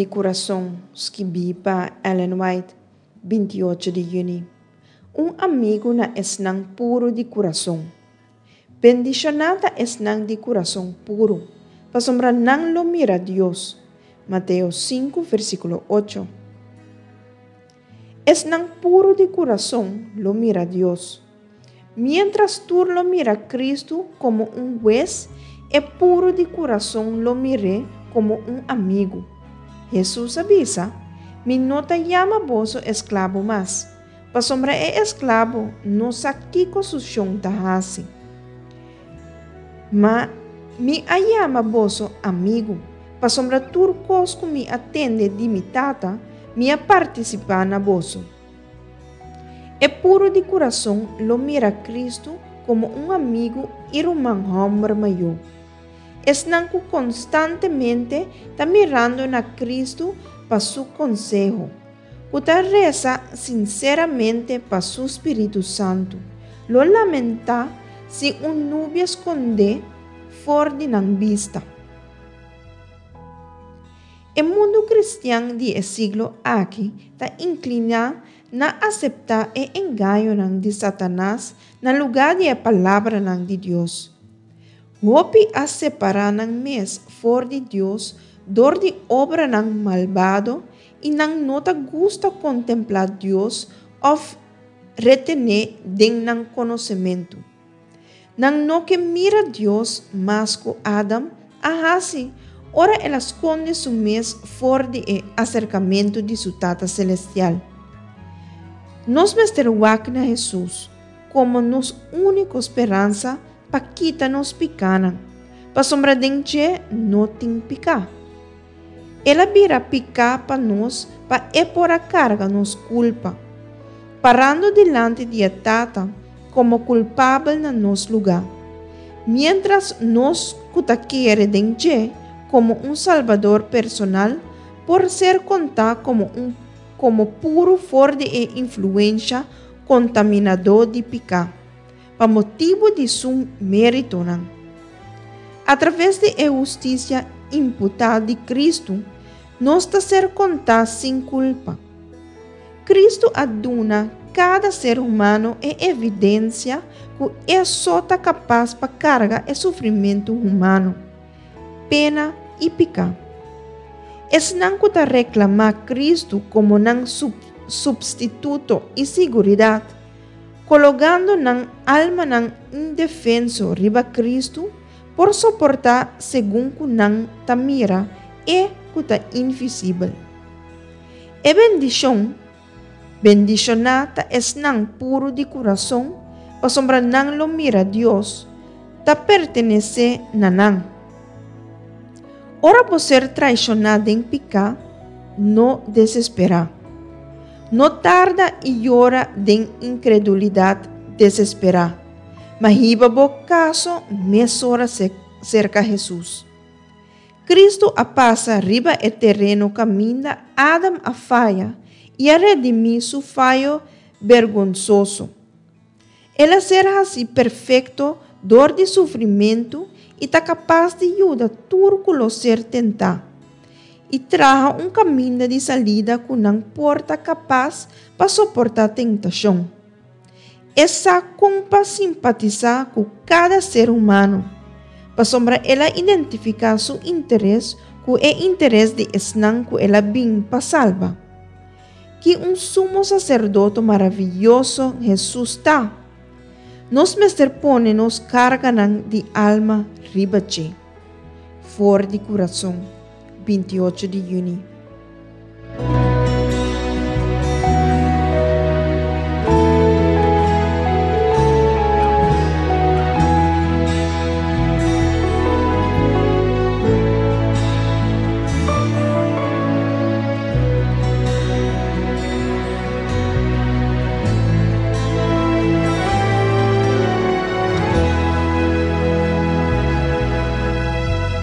di kurason, skibí pa Ellen White, 28 di yüni. Un amigu na esnan puru di kurason. Bendishoná ta esnan di kurason puru, pasobra nan lo mira Dios. Mateo 5, versíkulo 8. Esnan puru di kurason lo mira Dios. Miéntras tur lo mira Kristu komo un hues, e puru di kurason lo mir'é komo un amigu. Hesus a bisa, Mi no ta yama boso esklabo mas, pasobra e esklabo no sa kiko su shon ta hasi. Ma mi a yama boso amigu, pasobra tur kos ku mi a tende di mi Tata, mi a partisipá na boso. E puru di kurason lo mira Kristu komo un amigu i ruman hòmber mayó. Esnan ku konstantemente ta mirando na Kristu pa su konseho, ku ta resa sinseramente pa su spiritu santu, lo lamentá si un nubia skondé for di nan bista. E mundu kristian di e siglo aki ta inkliná na aseptá e engañonan di Satanas na lugá di e palabranan di Dios. Hopi a separá nan mes for di Dios dor di obranan malbado i nan no ta gusta kontemplá Dios òf retené den nan konosementu. Nan no ke mira Dios mas ku Adam a hasi ora el a skonde su mes for di e aserkamentu di su Tata selestial. Nos mester wak na Hesus komo nos úniko speransa pa kita nos pikánan, pasobra den dje no tin piká. El a bira piká pa nos pa e por a karga nos kulpa, parando dilanti di e Tata komo kulpabel na nos lugá, miéntras nos ku ta kere den dje komo un Salbador personal por ser kontá komo un komo puru for di e influensha kontaminadó di piká, pa motibu di su méritonan. Atraves di e hustisia imputá di Kristu, nos ta ser kontá sin kulpa. Kristu a duna kada ser humano e evidensia ku e so ta kapas pa karga e sufrimentu humano, pena i piká. Esnan ku ta reklamá Kristu komo nan supstituto i siguridat, Kologando nan almanan indefenso riba Kristu por soportá segun ku nan ta mira E ku ta invisibel. E bendishon, Bendishoná ta esnan puru di kurason, pasobra nan lo mira Dios, ta pertenesé na nan. Ora bo ser traishoná den piká, no desesperá. No tarda i yora den inkredulidat desesperá, ma hiba bo kaso mesora serka Hesus. Kristu a pasa riba e tereno kaminda Adam a faya i a redimí su fayo bergonsoso. El a ser hasí perfekto dor di sufrimentu i ta kapas di yuda tur ku lo ser tentá, i traha un kaminda di salida ku nan por ta kapas pa soportá tentashon. E sa kon pa simpatisá ku kada ser humano, pasobra el a identifiká su interes ku e interes di esnan ku el a bin pa salba. Ki un Sumo Saserdoto maravioso Hesus ta! Nos mester pone nos karganan di alma riba dje. For di kurason, 28 di yüni.